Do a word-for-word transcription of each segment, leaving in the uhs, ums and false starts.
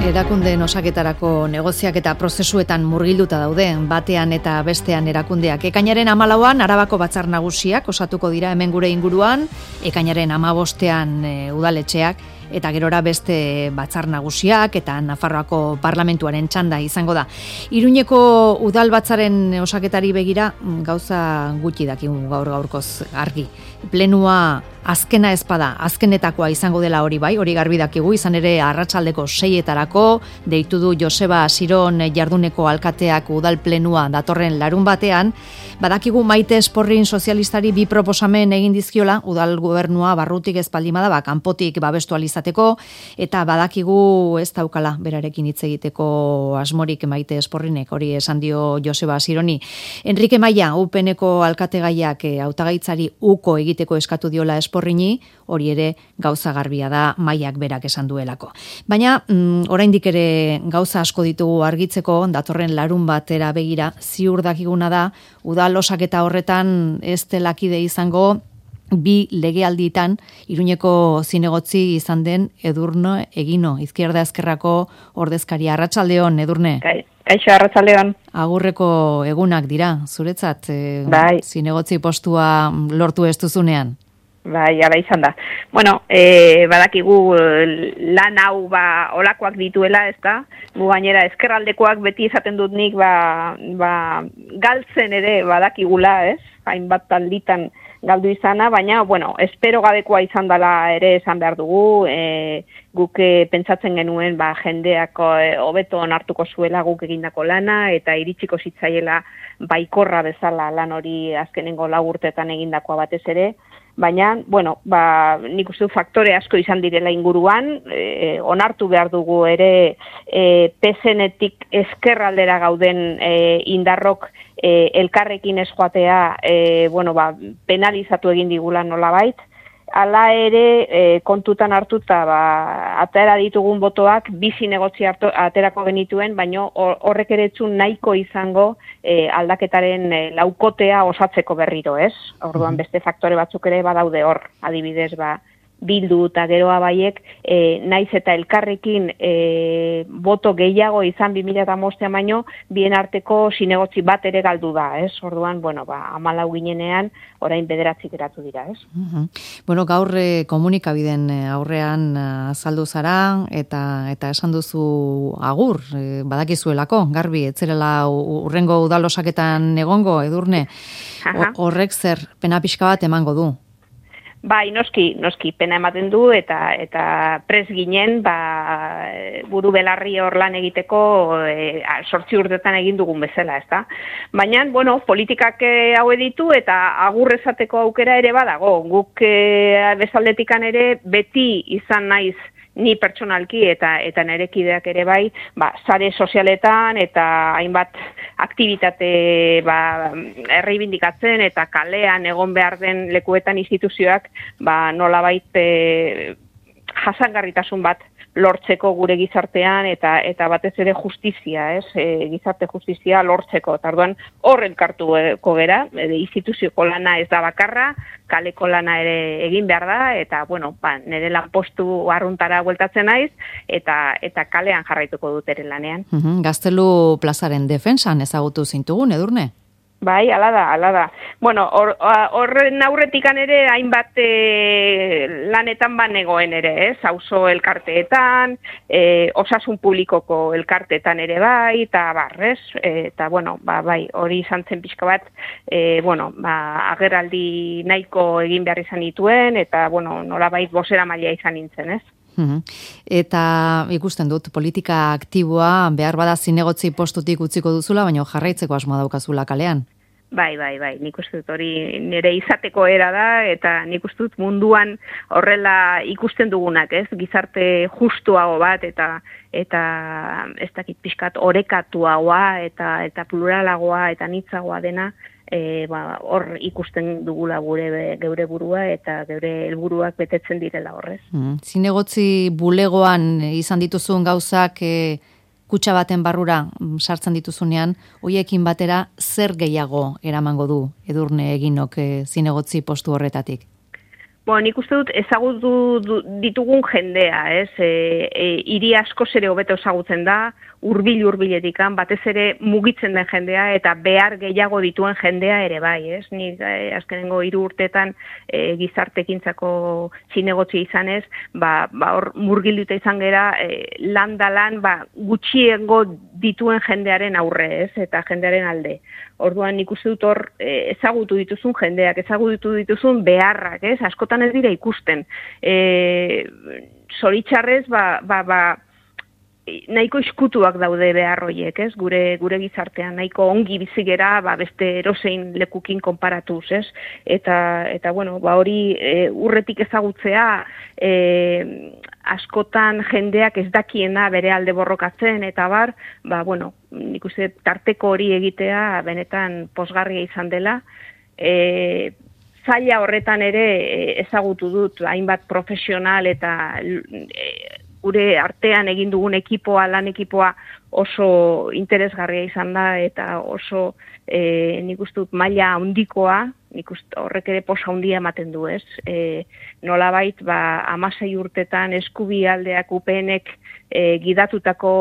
Erakundeen osaketarako negoziak eta prozesuetan murgilduta daude, batean eta bestean erakundeak. Ekainaren hamalauan Arabako batzar nagusiak osatuko dira hemen gure inguruan, ekainaren hamabostean e, udaletxeak, eta gerora beste batzar nagusiak eta Nafarroako parlamentuaren txanda izango da. Iruñeko udal batzaren osaketari begira gauza gutxi dakigu gaur gaurkoz argi. Plenua azkena ezpada, azkenetakoa izango dela hori bai, hori garbi dakigu, izan ere arratsaldeko seietarako deitu du Joseba Asiron jarduneko alkateak udal plenua datorren larun batean. Badakigu Maite Esporrin sozialistari bi proposamen egin dizkiola udal gobernua barrutik ez baldin bada, ba, kanpotik babestu alizateko, eta badakigu ez daukala berarekin hitz egiteko asmorik Maite Esporrinek, hori esan dio Joseba Asironi. Enrique Maia, U P N-ko alkategaiak hautagaitzari uko egiteko eskatu diola Esporrini, hori ere gauza garbia da Maiak berak esan duelako. Baina mm, oraindik ere gauza asko ditugu argitzeko, datorren larun batera begira, ziur dakiguna da udal osaketa horretan ez delakide izango bi legealditan Iruñeko zinegotzi izan den Edurne Egino, Izquierda Ezkerrako ordezkaria. Arratsaldeon, Edurne. Kaixo, arratsaldeon. Agurreko egunak dira, zuretzat, e, bai. Zinegotzi postua lortu ez duzunean. Bai, ara izan da. Bueno, e, badakigu lan hau ba olakoak dituela, ez da? Gu gainera ezkerraldekoak beti izaten dut nik ba, ba galtzen ere badakigula, ez? Hainbat talditan galdu izana, baina, bueno, espero gabekoa izan dela ere esan behar dugu, e, guk pentsatzen genuen ba, jendeak hobeto onartuko zuela guk egindako lana, eta iritsiko zitzaiela baikorra bezala lan hori azkenengo lau urtetan egindakoa batez ere, baina, bueno, ba, nik uste du faktore asko izan direla inguruan, e, onartu behar dugu ere e, P S N-etik ezkerraldera gauden e, indarrok e, elkarrekin ez joatea, e, bueno, ba, penalizatu egin digula nolabait. Hala ere, e, kontutan hartuta, ba, atera ditugun botoak, bizi negotzi aterako genituen, baino horrek ere etzun nahiko izango e, aldaketaren e, laukotea osatzeko berriro, ez? Orduan beste faktore batzuk ere badaude hor, adibidez, ba, Bildu eta Geroa Baiek, e, naiz eta elkarrekin e, boto gehiago izan bi mila hamabostean baino, bien arteko zinegotzi bat ere galdu da, ez? Orduan, bueno, ba, hamalau ginenean, orain bederatzi geratu dira, ez? Uh-huh. Bueno, gaur eh, komunikabideen aurrean azaldu zara, eta eta esan duzu agur, eh, badakizuelako, garbi, etzerela urrengo udalosaketan egongo, Edurne, horrek zer, pena pixka bat emango du? Bai, noski, noski, pena ematen du, eta eta pres ginen, ba, buru belarri hor lan egiteko e, sortzi urtetan egin dugun bezala, ez da? Baina, bueno, politikak hau ditu eta agur esateko aukera ere badago. Guk e, bezaldetikan ere beti izan naiz ni pertsonalki eta eta nire kideak ere bai, ba, sare sozialetan eta hainbat aktibitate ba, erreibindikatzen eta kalean egon behar den lekuetan instituzioak ba, nolabait e, jasangarritasun bat lortzeko gure gizartean eta eta batez ere justizia, ez? E, gizarte justizia lortzeko. Tarduan hor elkartuko gera, e, instituzioko lana ez da bakarra, kaleko lana ere egin behar da, eta, bueno, ba, nire lanpostu arruntara bueltatzen naiz, eta eta kalean jarraituko dut ere lanean. Uhum, Gaztelu plazaren defensan ezagutu zintugun, Edurne? Bai, ala da, ala da. Bueno, horren or, aurretikan ere hainbat e, lanetan banegoen ere, ez? Auzo elkarteetan, e, osasun publikoko elkarteetan ere bai, eta barrez, e, eta bueno, ba, bai, hori izan zen pixka bat, e, bueno, ba, agerraldi nahiko egin behar izan dituen, eta, bueno, nolabait bozera maila izan nintzen, ez? Eta ikusten dut, politika aktiboa behar bada zinegotzi postutik utziko duzula, baina jarraitzeko asmoa daukazula kalean. Bai, bai, bai, nik uste dut hori nire izateko era da, eta nik uste dut munduan horrela ikusten dugunak, ez? Gizarte justuago bat, eta eta ez dakit pixkat orekatuagoa, eta eta pluralagoa, eta nitzagoa dena, E, ba, hor ikusten dugula gure geure burua eta geure helburuak betetzen direla horrez. Mm. Zinegotzi bulegoan izan dituzun gauzak e, kutxa baten barrura sartzen dituzunean, hoiekin batera zer gehiago eramango du Edurne Eginok e, zinegotzi postu horretatik? Bueno, nik uste dut ezagutu ditugun jendea, ez? E, e, hiri asko ere hobeto ezagutzen da, hurbil hurbiletikan, batez ere mugitzen den jendea eta behar gehiago dituen jendea ere bai, ez? Nik e, azkenengo hiru urteetan e, gizartekintzako zinegotzi izanez, ba, ba hor murgilduta izan gera e, lan da lan ba, gutxiengo dituen jendearen aurre, ez? Eta jendearen alde. Orduan nik uste dut hor e, ezagutu dituzun jendeak, ezagutu dituzun beharrak, ez? Askotan ez dira ikusten. E, zoritxarrez, ba, ba, ba, nahiko iskutuak daude behar horiek, ez? Gure, gure gizartean, nahiko ongi bizigera, ba, beste erosein lekukin konparatuz, ez? Eta, eta bueno, ba, hori e, urretik ezagutzea, e, askotan jendeak ez dakiena bere alde borrokatzen, eta bar, ba, bueno, nik uste tarteko hori egitea benetan posgarria izan dela. E, zaila horretan ere ezagutu dut hainbat profesional eta e, gure artean egin dugun ekipoa, lan ekipoa oso interesgarria izan da eta oso e, nik uste dut maila handikoa, nik uste horrek ere posa handia ematen du, ez? E, nolabait, ba, amasei urtetan eskubialdeak upenek e, gidatutako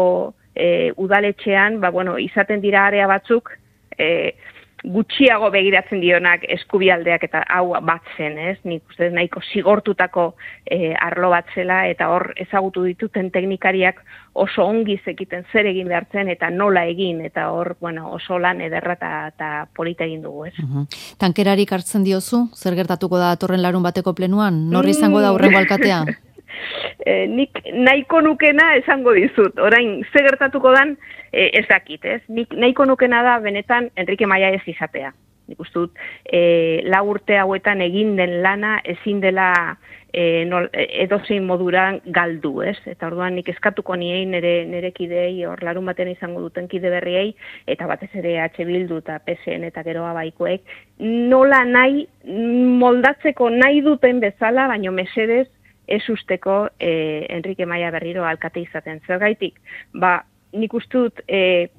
e, udaletxean, ba, bueno, izaten dira area batzuk, e, gutxiago begiratzen dionak eskubialdeak eta hau batzen, ez? Nik uste nahiko zigortutako e, arlo bat zela eta hor ezagutu dituten teknikariak oso ongi zekiten zer egin behartzen eta nola egin eta hor, bueno, oso lan ederra eta polita egin dugu, ez? Uh-huh. Tankerarik hartzen diozu? Zer gertatuko da datorren larun bateko plenuan? Norri izango da hurrengo alkatea? E, nik nahiko nukena esango dizut. Orain, ze gertatuko dan, e, ez dakit, ez? Nik nahiko nukena da benetan Enrique Maia ez izatea. Nik uste dut, e, lau urte hauetan egin den lana ezin dela e, nol, edozein moduran galdu, ez? Eta orduan nik eskatuko niei nire, nire kidei, hor larun baten izango duten kide berriei, eta batez ere H Bildu eta P S N eta geroa baikoek, nola nahi moldatzeko nahi duten bezala, baino mesedez, ez usteko eh, Enrique Maia berriro alkate izaten. Zergaitik, ba, nik uste dut eh,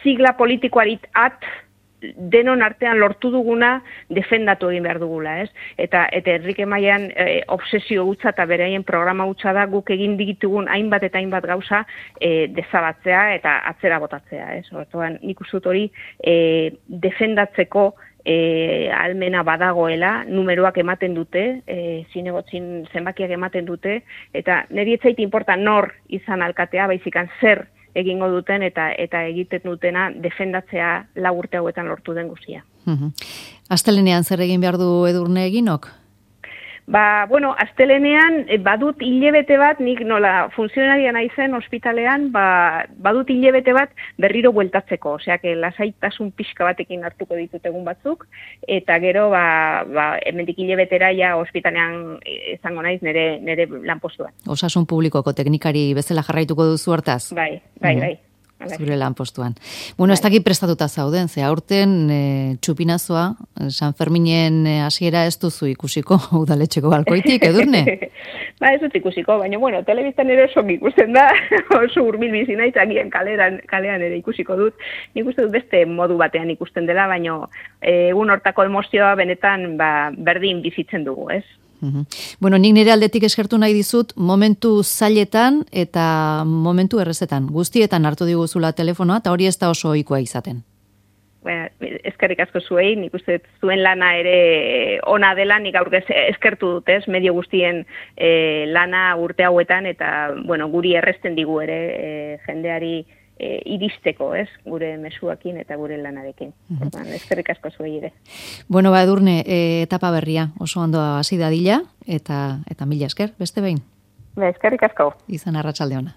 sigla politikoari at denon artean lortu duguna defendatu egin behar dugula, ez? Eta, eta Enrique Maian eh, obsesio gutza eta beraien programa gutza da guk egin ditugun hainbat eta hainbat gauza eh, dezabatzea eta atzera botatzea, ez? Orduan, nik uste dut hori eh, defendatzeko E, almena badagoela, numeroak ematen dute, e, zinegotzin zenbakiak ematen dute, eta niri ez zait inporta nor izan alkatea, baizikan zer egingo duten eta eta egiten dutena defendatzea lau urte hauetan lortu den guztia. Uh-huh. Astelenean zer egin behar du Edurne eginok? Ba, bueno, astelenean badut hilebete bat, nik nola funtzionaria naizen ospitalean, ba, badut hilebete bat berriro bueltatzeko, osea, que lasaitasun pixka batekin hartuko ditut egun batzuk, eta gero, ba, ba hemendik hilebetera ja ospitalean izango naiz nire, nire lanpostuan. Osasun publikoko teknikari bezala jarraituko duzu hortaz? Bai, bai, bai. Zure lan postuan. Bueno, ez dakit prestatuta zauden, ze aurten e, txupinazoa, San Ferminen hasiera ez duzu ikusiko udaletxeko balkoitik, Edurne? Ba, ez dut ikusiko, baina, bueno, telebistan ere oso ikusten da, oso hurbil bizi naiz, agian kalean, kalean ere ikusiko dut. Nik uste dut beste modu batean ikusten dela, baina egun hortako emozioa benetan ba, berdin bizitzen dugu, ez? Uhum. Bueno, nik nire aldetik eskertu nahi dizut momentu zailetan eta momentu errezetan. Guztietan hartu diguzula telefonoa eta hori ez da oso ohikoa izaten. Bueno, eskerrik asko zuei, nik uste zuen lana ere ona dela, nik gaur eskertu dut, ez, medio guztien e, lana urte hauetan eta, bueno, guri erresten digu ere e, jendeari E, iristeko, ez, gure mezuakin eta gure lanarekin. Uh-huh. Eskerrik asko zuei ere. Bueno, ba, Edurne, e, etapa berria oso ondo hasi dadila eta eta mila esker, beste behin. Ba, eskerrik asko. Izan arratsalde ona.